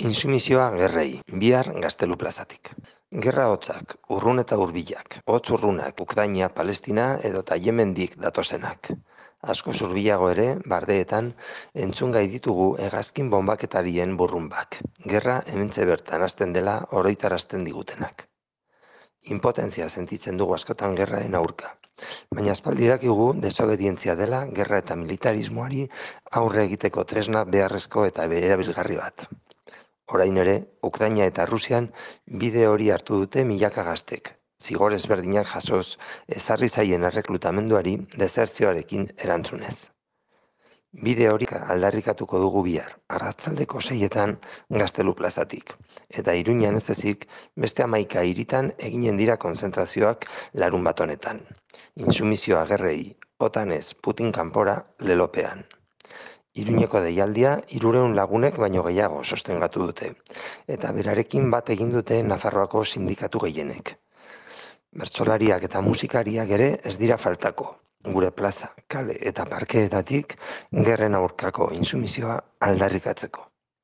Intsumisioa gerrei, bihar Gaztelu plazatik. Gerra hotzak, urrun eta hurbilak, hotz urrunak, Ukraina, Palestina edota Yemendik datozenak. Asko hurbilago ere, bardeetan, entzun gai ditugu hegazkin bonbaketarien burrunbak. Gerra hementxe bertan hasten dela oroitarazten digutenak. Inpotentzia sentitzen dugu askotan gerraen aurka. Baina aspaldi dakigu desobedientzia dela gerra eta militarismoari aurre egiteko tresna beharrezko eta erabilgarri bat. Orain ere, Ukraina eta Rusian bide hori hartu dute milaka gaztek, zigor ezberdinak jasoz ezarri zaien erreklutamenduari desertzioarekin erantzunez. Bide hori aldarrikatuko dugu bihar, arratsaldeko 6etan Gaztelu plazatik, eta Iruñan ez ezik beste 11 hiritan eginen dira konzentrazioak larunbat honetan. Intsumisioa gerrei, otanez Putin kanpora lelopean. Iruñeko deialdia 300 lagunek baino gehiago sostengatu dute, eta berarekin bat egin dute Nafarroako sindikatu gehienek. Bertsolariak eta musikariak ere ez dira faltako, gure plaza, kale eta parkeetatik gerren aurkako intsumisioa aldarrikatzeko.